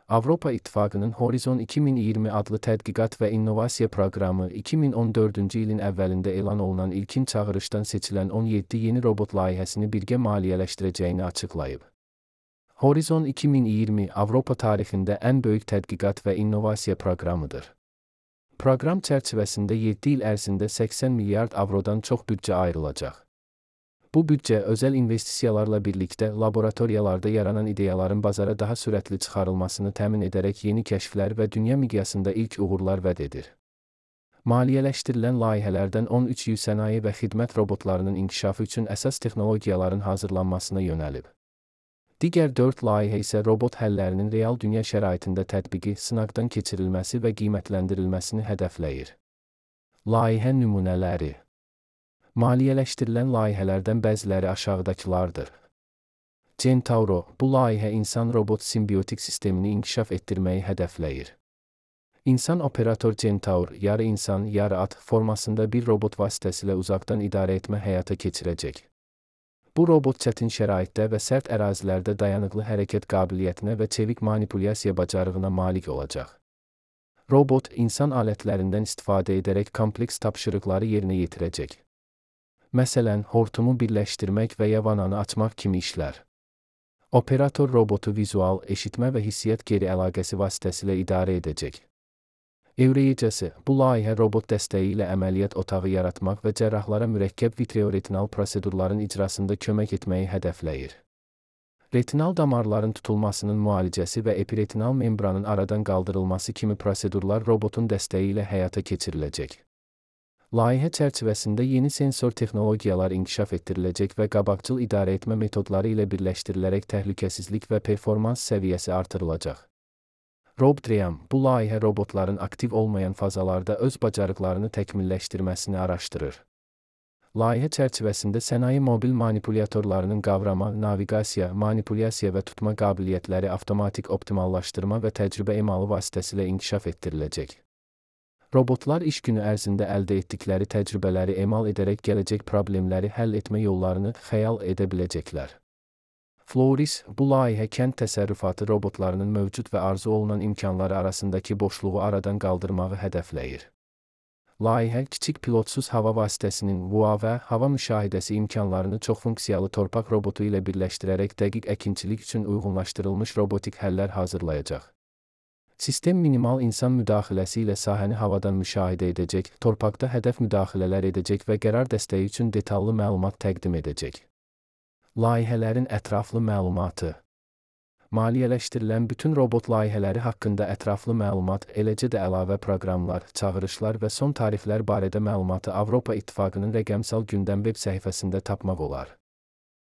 Avropa İttifaqının Horizon 2020 adlı tədqiqat və innovasiya proqramı 2014-cü ilin əvvəlində elan olunan ilkin çağırışdan seçilən 17 yeni robot layihəsini birgə maliyyələşdirəcəyini açıqlayıb. Horizon 2020 Avropa tarixində ən böyük tədqiqat və innovasiya proqramıdır. Proqram çərçivəsində 7 il ərzində 80 milyard avrodan çox büdcə ayrılacaq. Bu büdcə özəl investisiyalarla birlikdə laboratoriyalarda yaranan ideyaların bazara daha sürətli çıxarılmasını təmin edərək yeni kəşflər və dünya miqyasında ilk uğurlar vəd edir. Maliyyələşdirilən layihələrdən 13-ü sənaye və xidmət robotlarının inkişafı üçün əsas texnologiyaların hazırlanmasına yönəlib. Digər 4 layihə isə robot həllərinin real dünya şəraitində tətbiqi, sınaqdan keçirilməsi və qiymətləndirilməsini hədəfləyir. Layihə nümunələri. Maliyyələşdirilən layihələrdən bəziləri aşağıdakılardır. Centauro, bu layihə insan-robot simbiotik sistemini inkişaf etdirməyi hədəfləyir. İnsan operator Centaur, yarı insan, yarı at formasında bir robot vasitəsilə uzaqdan idarə etmə həyata keçirəcək. Bu robot çətin şəraitdə və sərt ərazilərdə dayanıqlı hərəkət qabiliyyətinə və çevik manipulyasiya bacarığına malik olacaq. Robot, insan alətlərindən istifadə edərək kompleks tapşırıqları yerinə yetirəcək. Məsələn, hortumu birləşdirmək və ya vananı açmaq kimi işlər. Operator robotu vizual, eşitmə və hissiyyat geri əlaqəsi vasitəsilə idarə edəcək. Evreyicəsi, bu layihə robot dəstəyi ilə əməliyyat otağı yaratmaq və cərrahlara mürəkkəb vitreoretinal prosedurların icrasında kömək etməyi hədəfləyir. Retinal damarların tutulmasının müalicəsi və epiretinal membranın aradan qaldırılması kimi prosedurlar robotun dəstəyi ilə həyata keçiriləcək. Layihə çərçivəsində yeni sensor texnologiyalar inkişaf etdiriləcək və qabaqcıl idarə etmə metodları ilə birləşdirilərək təhlükəsizlik və performans səviyyəsi artırılacaq. RobDream, bu layihə robotların aktiv olmayan fazalarda öz bacarıqlarını təkmilləşdirməsini araşdırır. Layihə çərçivəsində sənaye mobil manipulyatorlarının qavrama, naviqasiya, manipulyasiya və tutma qabiliyyətləri avtomatik optimallaşdırma və təcrübə emalı vasitəsilə inkişaf etdiriləcək. Robotlar iş günü ərzində əldə etdikləri təcrübələri emal edərək gələcək problemləri həll etmə yollarını xəyal edə biləcəklər. Floris, bu layihə kənd təsərrüfatı robotlarının mövcud və arzu olunan imkanları arasındakı boşluğu aradan qaldırmağı hədəfləyir. Layihə, kiçik pilotsuz hava vasitəsinin VUA və hava müşahidəsi imkanlarını çoxfunksiyalı torpaq robotu ilə birləşdirərək dəqiq əkinçilik üçün uyğunlaşdırılmış robotik həllər hazırlayacaq. Sistem minimal insan müdaxiləsi ilə sahəni havadan müşahidə edəcək, torpaqda hədəf müdaxilələr edəcək və qərar dəstəyi üçün detallı məlumat təqdim edəcək. Layihələrin ətraflı məlumatı. Maliyyələşdirilən bütün robot layihələri haqqında ətraflı məlumat, eləcə də əlavə proqramlar, çağırışlar və son tarixlər barədə məlumatı Avropa İttifaqının rəqəmsal gündəm veb səhifəsində tapmaq olar.